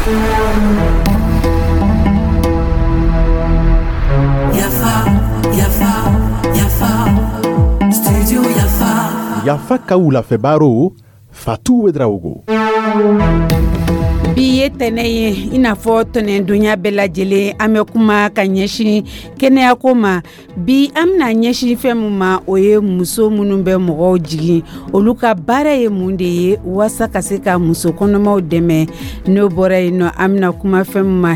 Yafa, yafa, yafa, studio Yafa. Yafa ka wulafɛ baro, Fatu Ouedraogo. Bi ye tɛnɛ ye, i n'a fɔ tɛnɛndonya bɛɛ lajɛlen, an bɛ kuma ka ɲɛsin kɛnɛyako ma. Bi, an bɛna ɲɛsin fɛn min ma, o ye muso minnu bɛ mɔgɔw jigin, olu ka baara ye mun de ye waasa ka se ka muso kɔnɔmaw dɛmɛ. N'o bɔra yen nɔ, an bɛna kuma fɛn min ma,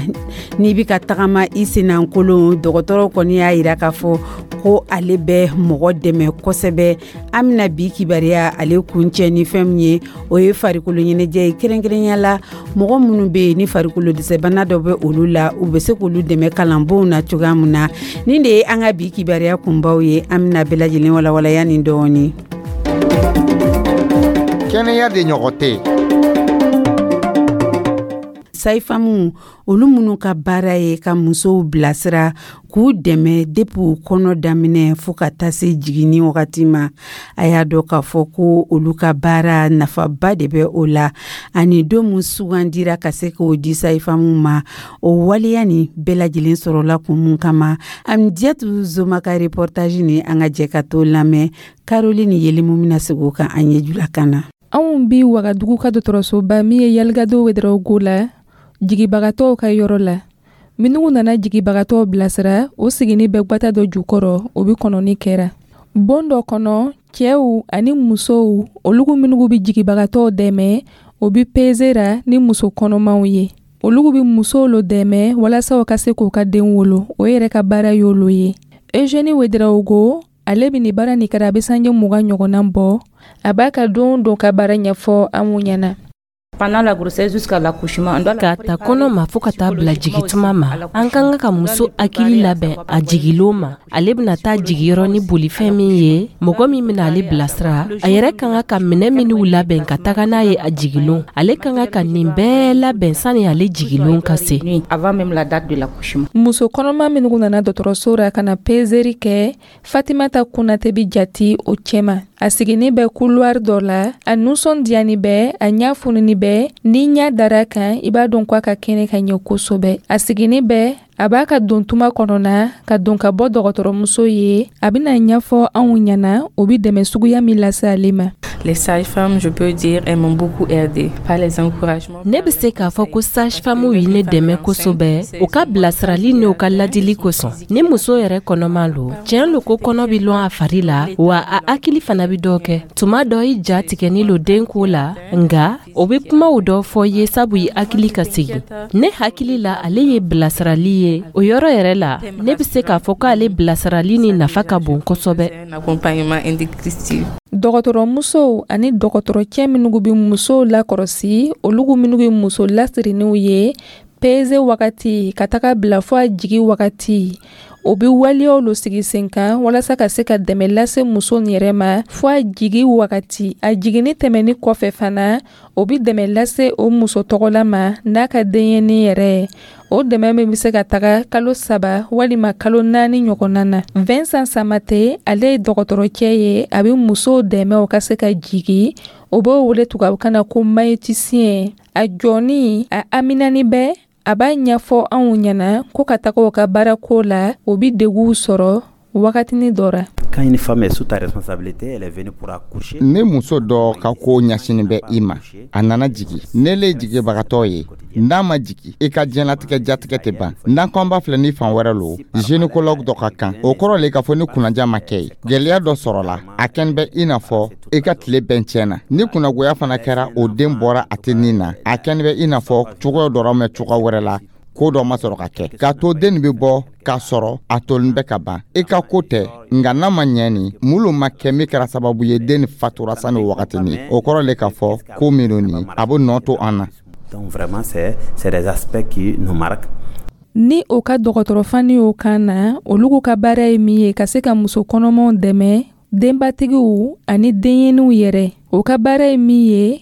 n'i bɛ ka tagama i sennakolon, dɔgɔtɔrɔ kɔni y'a jira k'a fɔ ko ale bɛ mɔgɔ dɛmɛ kosɛbɛ. An bɛna bi kibaruya ale kuncɛ ni fɛn min ye, o ye farikolo ɲɛnajɛ ye, kɛrɛnkɛrɛnya la mɔgɔ minnu bɛ yen ni farikolo dɛsɛbana dɔ bɛ olu la, u bɛ se k'olu dɛmɛ kalanbonw na cogoya min na. Nin de ye an ka bi kibaruya kunbaw ye. An bɛna bɛɛ lajɛlen walawalaya nin dɔɔnin. Kɛnɛya de ɲɔgɔn tɛ yen. Sage-femme, olu minnu ka baara ye ka musow bilasira, k'u dɛmɛ depuis u kɔnɔ daminɛ fo ka taa se jiginni wagati ma, a y'a dɔn k'a fɔ ko olu ka baara nafaba de bɛ o la. Ani don min sugandira ka se k'o di sage-femme ma, o waleya nin bɛɛ lajɛlen sɔrɔla kun mun kama? Amidiyatu Zoma ka reportage ni, an ka jɛ ka t'o lamɛn. Caroline Yelimu bɛna segin o kan an ye julakan na. Anw bi Wagadugu ka dɔgɔtɔrɔsoba min ye Yaligado Ouédraogo la, jigibagatɔw ka yɔrɔ la. Minnu nana jigibagatɔw bilasira, o sigini bɛ gwata dɔ jukɔrɔ, o bi kɔnɔni kɛra bon dɔ kɔnɔ. Cɛw ani musow, olugu minnu bɛ jigibagatɔw dɛmɛ, o bi peze ra ni muso kɔnɔmaw ye. Olugu bɛ musow lo dɛmɛ walasa u ka se k'u ka den wolo. O yɛrɛ ka baara y'olu ye. Eugénie Ouédraogo, ale bɛ nin baara nin kɛra, a bɛ sanji 20 ɲɔgɔnna bɔ. A b'a ka don don ka baara ɲɛfɔ anw ɲɛna. K'a ta kɔnɔ ma fo ka taa bila jigituma ma, an ka kan ka muso hakili labɛn a jigilon ma, ale bɛna taa jigiyɔrɔ ni bolifɛn min ye, mɔgɔ min bɛna ale bilasira, a yɛrɛ ka kan ka minɛn minnu labɛn ka taga n'a ye a jigilon. Ale ka kan ka nin bɛɛ labɛn sani ale jigilon ka se. Muso kɔnɔma minnu nana dɔgɔtɔrɔso la ka na pezeri kɛ, Fatimata Konate bɛ jati o cɛma. A siginin bɛ couloir dɔ la, a nisɔndiyani bɛ, a ɲɛ fununi bɛ. Ni ɲɛ dara kan, i b'a dɔn ko a ka kɛnɛ ka ɲɛ kosɛbɛ. A siginin bɛ, a b'a ka don tuma kɔnɔna ka don ka bɔ dɔgɔtɔrɔmuso ye. A bɛna ɲɛfɔ anw ɲɛna o bɛ dɛmɛ suguya min lase ale ma. Les sages-femmes, je peux dire, elles m'ont beaucoup aidé par les encouragements. Ne bɛ se k'a fɔ ko sage-femme ye ne dɛmɛ kosɛbɛ, u ka bilasirali n'u ka ladili kosɔn. Ni muso yɛrɛ kɔnɔma lo, tiɲɛ lo ko kɔnɔ bɛ lɔn a fari la, wa a hakili fana bɛ dɔ kɛ. Tuma dɔ i ja tigɛni lo den ko la, nka o bɛ kumaw dɔ fɔ ye sabu i hakili ka sigi. Ne hakili la, ale ye bilasirali ye. O yɔrɔ yɛrɛ la, ne bɛ se k'a fɔ k'ale bilasirali ni nafa ka bon kosɛbɛ. Dɔgɔtɔrɔmusow ani dɔgɔtɔrɔcɛ minnu bɛ musow lakɔlɔsi, olu minnu ye muso lasirininw ye peze wagati ka taga bila fɔ a jigi wagati, o bɛ waleyaw lo sigi sen kan walasa ka se ka dɛmɛ lase muso yɛrɛ ma fɔ a jigi wagati. A jiginni tɛmɛni kɔfɛ fana, o bɛ dɛmɛ lase o muso tɔgɔla ma n'a ka denyɛrɛnin yɛrɛ. O dɛmɛ min bɛ se ka taga kalo 3 walima kalo 4 ɲɔgɔnna na. Vincent Samate, ale ye dɔgɔtɔrɔcɛ ye, a bɛ musow dɛmɛ o ka se ka jigi, o b'o wele tubabukan na ko maïeuticien. A jɔni a aminani bɛ, a b'a ɲɛfɔ anw ɲɛna ko ka taga o ka baarako la, o bɛ deguw sɔrɔ wagatinin dɔ la. Quand une femme est sous ta responsabilité, elle est venue pour accoucher. Ni muso dɔ ka ko ɲɛsinin bɛ i ma, a nana jigi, ne le jigibagatɔ ye, n'a ma jigi, i ka diɲɛlatigɛ jatigɛ tɛ ban. N'an ko an b'a filɛ ni fan wɛrɛ lo, gynécologue dɔ ka kan, o kɔrɔ le k'a fɔ ni kunnaja ma kɛ ye, gwɛlɛya dɔ sɔrɔla, a kɛn bɛ i n'a fɔ i ka tile bɛɛ tiɲɛna. Ni kunnagoya fana kɛra, o den bɔra a tɛ nin na, a kɛn bɛ i n'a fɔ cogoya dɔ mɛn cogoya wɛrɛ la, ko dɔ ma sɔrɔ ka kɛ k'a to den nin bɛ bɔ k'a sɔrɔ a tolen bɛ ka ban. I ka ko tɛ, nka n'a ma ɲɛ nin mulu ma kɛ min kɛra sababu ye den nin fatura sani o wagatinin, o kɔrɔ le k'a fɔ ko minnu nin a bɛ nɔ to an na. Donc vraiment, c'est des aspects qui nous marquent. Ni o ka dɔgɔtɔrɔfani y'o kan na, olu ka baara ye min ye ka se ka muso kɔnɔmaw dɛmɛ, denbatigiw ani denyɛninw yɛrɛ, o ka baara ye min ye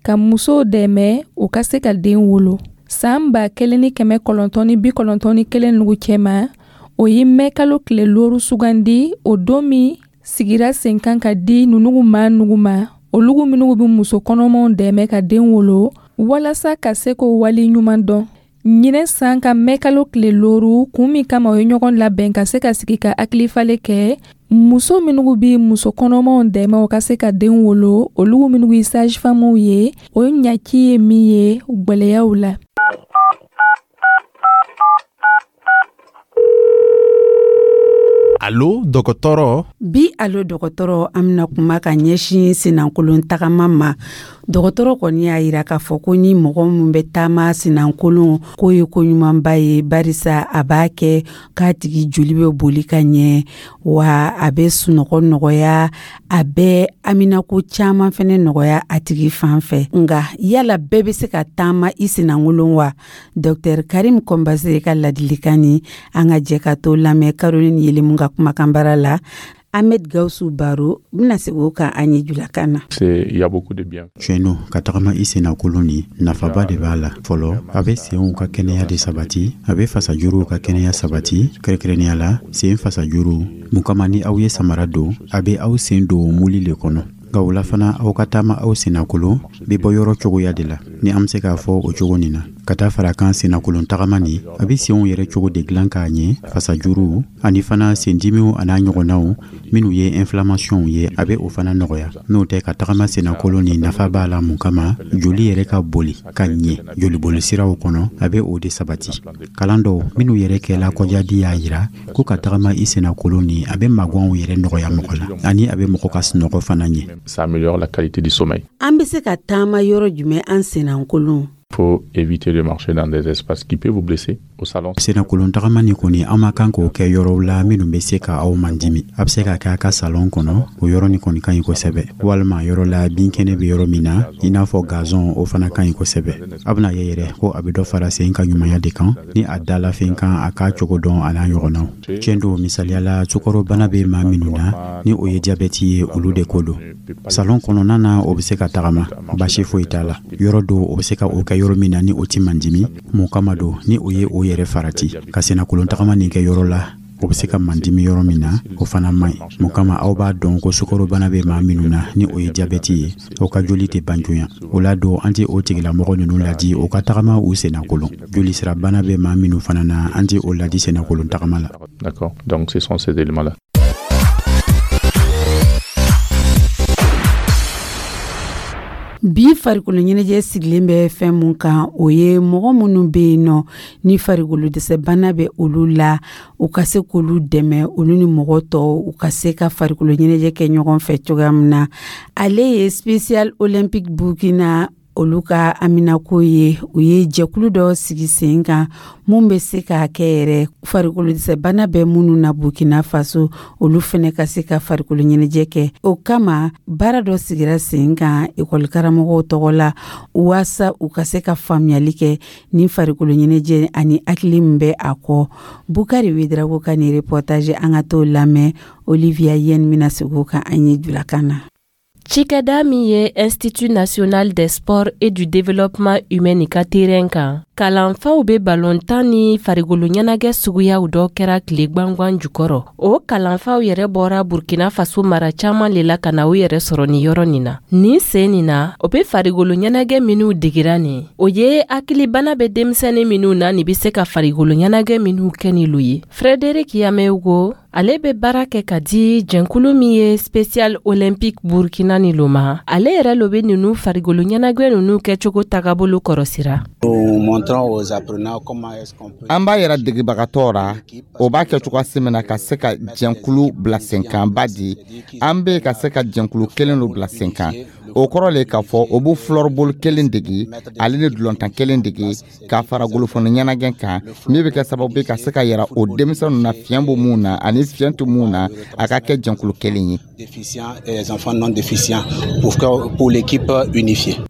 ka musow dɛmɛ u ka se ka den wolo. San 1991 nugu cɛma, o ye mɛ kalo tile 5 sugandi, o don min sigira sen kan ka di nunugu maa nugu ma, olugu minnu bɛ muso kɔnɔmaw dɛmɛ ka den wolo. Walasa ka se k'o wali ɲuman dɔn, ɲinɛ san ka mɛkalo tile 5, kun min kama o ye ɲɔgɔn labɛn ka se ka sigi ka hakilifalen kɛ, muso minnu bɛ muso kɔnɔmaw dɛmɛ u ka se ka den wolo, olu minnu ye sage-femmew ye, o ɲaci ye min ye gwɛlɛyaw la. Alo dɔgɔtɔrɔ. Bi alo dɔgɔtɔrɔ, an bɛna kuma ka ɲɛsin senankolon tagama ma. Dɔgɔtɔrɔ kɔni y'a yira k'a fɔ ko ni mɔgɔ min bɛ taama senankolon, k'o ye ko ɲumanba ye, barisa a b'a kɛ k'a tigi joli bɛ boli ka ɲɛ, wa a bɛ sunɔgɔ nɔgɔya, a bɛ haminako caman fɛnɛ nɔgɔya a tigi fan fɛ. Nka yala bɛɛ bɛ se ka taama i senankolon wa? Dɔktɛr Karim Kɔnbase ka ladilikan ni an ka jɛ ka to lamɛn Caroline Yelemu ka kumakanbara la. Ahmed Gausu Baro bɛna segin o kan an ye julakan na. Il y a beaucoup de bien. Tiɲɛ don, ka tagama i sennakolon ni nafaba de b'a la. Fɔlɔ, a bɛ senw ka kɛnɛya de sabati, a bɛ fasajuruw ka kɛnɛya sabati, kɛrɛnkɛrɛnnenya la sen fasajuru. Mun kama ni aw ye samara don, a bɛ aw sen don muli le kɔnɔ. Nka o la fana, aw ka taama aw sennakolon bɛ bɔ yɔrɔ cogoya de la, ni an bɛ se k'a fɔ o cogo nin na. Ka taa fara kan sennakolon tagama nin, a bɛ senw yɛrɛ cogo de dilan k'a ɲɛ, fasajuru ani fana sendimiw an'a ɲɔgɔnnaw minnu ye inflammationw ye, a bɛ o fana nɔgɔya. N'o tɛ, ka tagama sennakolon nin nafa b'a la mun kama, joli yɛrɛ ka boli ka ɲɛ jolibolisiraw kɔnɔ, a bɛ o de sabati. Kalan dɔw minnu yɛrɛ kɛla kɔjadi y'a yira ko ka tagama i sennakolon nin, a bɛ magwanw yɛrɛ nɔgɔya mɔgɔ la, ani a bɛ mɔgɔ ka sunɔgɔ fana ɲɛ. Ça améliore la qualité du sommeil. An bɛ se ka taama yɔrɔ jumɛn an sennakolon? Faut éviter de marcher dans des espaces qui peuvent vous blesser au salon. Sennakolon tagama nin kɔni, an ma kan k'o kɛ yɔrɔw la minnu bɛ se ka aw mandimi. A bɛ se ka kɛ a ka salon kɔnɔ, o yɔrɔ nin kɔni ka ɲi kosɛbɛ. Walima yɔrɔ la binkɛnɛ bɛ yɔrɔ min na, i n'a fɔ gazon, o fana ka ɲi kosɛbɛ. A bɛna ye yɛrɛ ko a bɛ dɔ fara sen ka ɲumanya de kan, ni a dala fɛn kan, a k'a cogo dɔn a n'a ɲɔgɔnnaw. Tiɲɛ don, misaliya la, sukarobana bɛ maa minnu na, ni o ye jabɛti ye, olu de ko don. Salon kɔnɔna na, o bɛ se ka tagama, baasi foyi t'a la. Yɔrɔ dɔw, o bɛ se ka o kɛ yɔrɔ min na ni o ti mandimi. Mun kama don, ni o ye o yɛrɛ farati ka sennakolon tagama nin kɛ yɔrɔ la, o bɛ se ka mandimi yɔrɔ min na, o fana man ɲi. Mun kama, aw b'a dɔn ko sukarobana bɛ maa minnu na, ni o ye jabɛti ye, o ka joli tɛ ban joona. O la don, an tɛ o tigilamɔgɔ ninnu ladi o ka tagama u sennakolon. Jolisirabana bɛ maa minnu fana na, an tɛ o ladi sennakolon tagama la. D'accord. Donc ce sont ces éléments-là. Bi farikolo ɲɛnajɛ sigilen bɛ fɛn mun kan, o ye mɔgɔ minnu bɛ yen nɔ ni farikolo dɛsɛbana bɛ olu la, u ka se k'olu dɛmɛ, olu ni mɔgɔ tɔw u ka se ka farikolo ɲɛnajɛ kɛ ɲɔgɔn fɛ cogoya min na. Ale ye Special Olympic Burkina olu ka haminako ye. U ye jɛkulu dɔ sigi sen kan mun bɛ se k'a kɛ yɛrɛ farikolo dɛsɛbana bɛ minnu na Burkina Faso, olu fɛnɛ ka se ka farikolo ɲɛnajɛ kɛ. O kama baara dɔ sigira sen kan ekɔli karamɔgɔw tɔgɔ la, waasa u ka se ka faamuyali kɛ ni farikolo ɲɛnajɛ ani hakili min bɛ a kɔ. Bukari Wedrago ka nin reportage, an ka t'o lamɛn. Olivia Yen bɛna segin o kan an ye julakan na. Cikɛda min ye Institut national des sports et du développement humain ka terrain kan, kalanfaw bɛ balontan ni farikolo ɲɛnajɛ suguyaw dɔ kɛra tile gwangwan jukɔrɔ. O kalanfaw yɛrɛ bɔra Burkina Faso mara caman le la ka na u yɛrɛ sɔrɔ nin yɔrɔ nin na. Nin sen nin na, o bɛ farikolo ɲɛnajɛ minnu digira nin, o ye hakilibana bɛ denmisɛnnin minnu na nin bɛ se ka farikolo ɲɛnajɛ minnu kɛ ni lu ye. Frédéric Yameugo, ale bɛ baara kɛ ka di jɛnkulu min ye Special Olympique Burkina ni lo ma. Ale yɛrɛ lo bɛ ninnu farikolo ɲɛnajɛ ninnu kɛcogo tagabolo kɔrɔsira. An b'a yɛrɛ degebagatɔ ra, o b'a kɛ cogoya min na ka se ka jɛnkulu bila sen kan. Ba di, an bɛ ka se ka jɛnkulu kelen lo bila sen kan. O kɔrɔ le k'a fɔ o b'u floorball kelen dege, ale ni dulontan kelen dege, k'a fara golofɔni ɲɛnajɛ kan, min bɛ kɛ sababu ye ka se ka yira o denmisɛnninw na fiɲɛ bɛ mun na ani fiɲɛ tɛ mun na, a ka kɛ jɛnkulu kelen ye.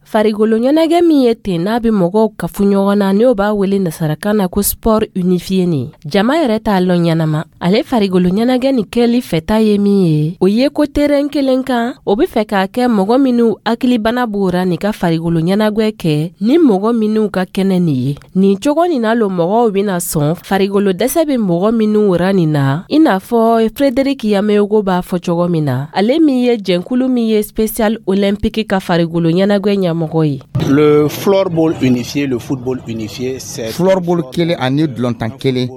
Farikolo ɲɛnajɛ min ye ten n'a bɛ mɔgɔw kafu ɲɔgɔn na, n'o b'a wele nasarakan na ko sport unifié nin, jama yɛrɛ t'a lɔn ɲɛnama. Ale farikolo ɲɛnajɛ nin kɛli fɛta ye min ye, o ye ko terrain kelen kan, o bɛ fɛ k'a kɛ mɔgɔ minnu hakilibana b'o ra nin ka farikolo ɲɛnajɛ kɛ ni mɔgɔ minnu ka kɛnɛ nin ye. Nin cogo nin na lo mɔgɔw bɛna sɔn farikolo dɛsɛ bɛ mɔgɔ minnu ra nin na, i n'a fɔ Frédéric Yameogo b'a fɔ cogo min na. na, ale min ye jɛnkulu min ye Special Olympique ka farigolo ɲɛnagwɛ ɲɛmɔgɔ ye. Le floorball unifié, le football unifié, c'est Floorball kelen ani dulɔntan kelen.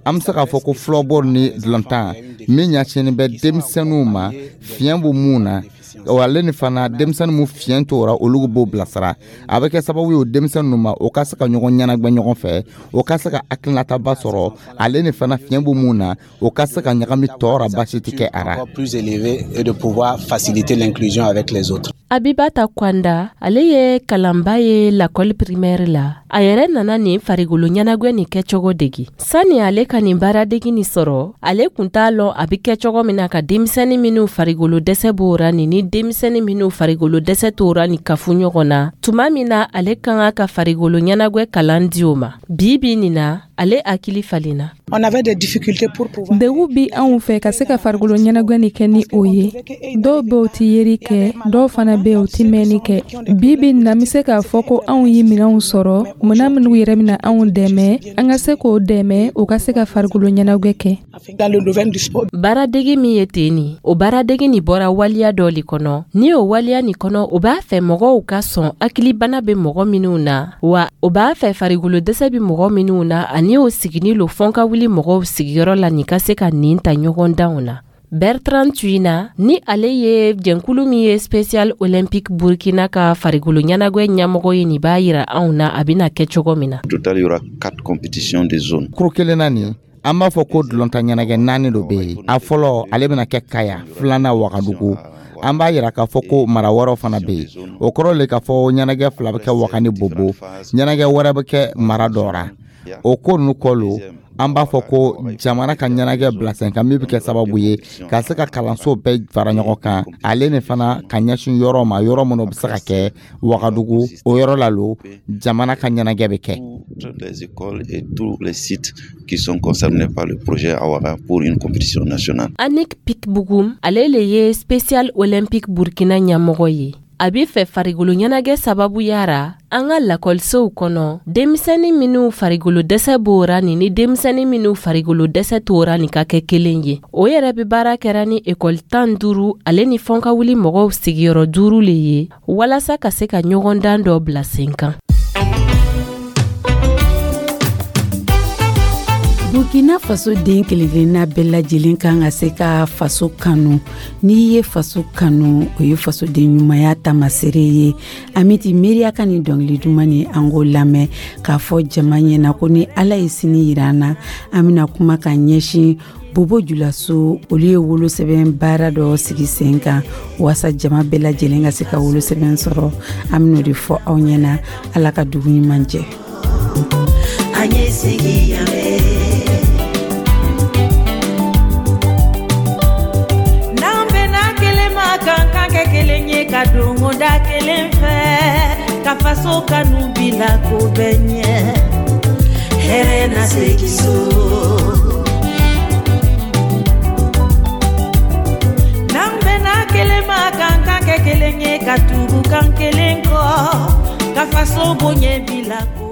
An bɛ se k'a fɔ ko floorball ni dulɔntan min ɲɛsinnen bɛ denmisɛnninw ma, fiɲɛ b'u mun na, o ale ni fana denmisɛnnin mun fiɲɛ t'o ra, olu b'o bilasira. A bɛ kɛ sababu ye o denmisɛnnin ma, o ka se ka ɲɔgɔn ɲɛnagwɛ ɲɔgɔn fɛ, o ka se ka hakilinataba sɔrɔ. Ale ni fana fiɲɛ b'u mun na, o ka se ka ɲagami tɔ ra, basi tɛ kɛ a ra. Plus élevé et de pouvoir faciliter l'inclusion avec les autres. Abibata Kwanda, ale ye kalanba ye lakɔli primaire la. A yɛrɛ nana nin farigolo ɲɛnagwɛ nin kɛcogo degi. Sani ale ka nin baaradegi nin sɔrɔ, ale kun t'a lɔn a be kɛ cogo min na ka denmisɛni minw farigolo dɛsɛ b'o ra nin ni denmisɛni minw farigolo dɛsɛ t'o ra nin kafu ɲɔgɔn na, tuma min na ale ka kan ka farigolo ɲɛnagwɛ kalan di o ma. Bi bi nin na, ale hakili falenna. Degun bi anw fɛ ka se ka farikolo ɲɛnagwɛ nin kɛ ni o ye. Dɔw bɛ, o ti yeri kɛ, dɔw fana bɛ, o ti mɛnni kɛ. Bi bi nin na, n bɛ se k'a fɔ ko anw ye minɛnw sɔrɔ, minɛn minnu yɛrɛ bɛna anw dɛmɛ, an ka se k'o dɛmɛ, o ka se ka farikolo ɲɛnagwɛ kɛ. Baaradege min ye ten nin, o baaradege nin bɔra waliya dɔ le kɔnɔ. Ni o waliya nin kɔnɔ, o b'a fɛ mɔgɔw ka sɔn hakilibana bɛ mɔgɔ minw na, wa o b'a fɛ farikolo dɛsɛ bɛ mɔgɔ minw na, ani o sigini lo fɔn ka wuli mɔgɔw sigiyɔrɔ la nin ka se ka nin ta ɲɔgɔn danw na. Bertrand Tuina, ni ale ye jɛnkulu min ye Special Olympique Burkina ka farikolo ɲɛnagwɛ ɲɛmɔgɔ ye, nin b'a yira anw na a bɛna kɛ cogo min na. Total, il y aura quatre compétitions de zone. Kuru kelen na nin, an b'a fɔ ko dulɔntan ɲɛnagɛ naani dɔ bɛ yen. A fɔlɔ, ale bɛna kɛ Kaya, filanan Wagadugu. An b'a yira k'a fɔ ko mara wɛrɛw fana bɛ yen. O kɔrɔ le k'a fɔ ɲɛnagɛ fila bɛ kɛ Waga ni Bobo, ɲɛnagɛ wɛrɛ bɛ kɛ mara dɔ ra. O ko ninnu kɔ lo, an b'a fɔ ko jamana ka ɲɛnagɛ bila sen kan min bɛ kɛ sababu ye ka se ka kalanso bɛɛ fara ɲɔgɔn kan, ale ni fana ka ɲɛsin yɔrɔ ma, yɔrɔ minnu bɛ se ka kɛ Wagadugu, o yɔrɔ la lo jamana ka ɲɛnagɛ bɛ kɛ. Toutes les écoles et tous les sites qui sont concernés par le projet Awara pour une compétition nationale. Anik Pikbugum, ale le ye Special Olympique Burkina ɲɛmɔgɔ ye. A b'i fɛ farigolo ɲɛnagɛ sababuya ra, an ka lakɔlisow kɔnɔ, denmisɛnnin minw farigolo dɛsɛ b'o ra nin ni denmisɛnnin minw farigolo dɛsɛ t'o ra nin ka kɛ kelen ye. O yɛrɛ be baara kɛra ni ekɔli 15 ale ni fɔn ka wuli mɔgɔw sigiyɔrɔ duuru le ye, walasa ka se ka ɲɔgɔndan dɔ bila sen kan. Burkina Faso den kelenkelenna bɛɛ lajɛlen kan ka se ka faso kanu. N'i ye faso kanu, o ye fasoden ɲumanya taamasere ye. Amiti Miiriya ka nin dɔnkili duman ni an k'o lamɛn k'a fɔ jama ɲɛna ko ni Ala ye sini yira an na, an bɛna kuma ka ɲɛsin Bobo Julaso, olu ye wolosɛbɛn baara dɔ sigi sen kan waasa jama bɛɛ lajɛlen ka se ka wolosɛbɛn sɔrɔ. An bɛn'o de fɔ aw ɲɛna. Ala ka dugu ɲuman jɛ. An ye sigi yan. N'an bɛnna kelen ma, kan kan kɛ kelen ye, ka don da kelen fɛ, ka faso kanu bila ko bɛɛ ɲɛ, hɛrɛ na segin so. N'an bɛnna kelen ma, kan kan kɛ kelen ye, ka tugu kan kelen kɔ, ka faso bonya bila ko.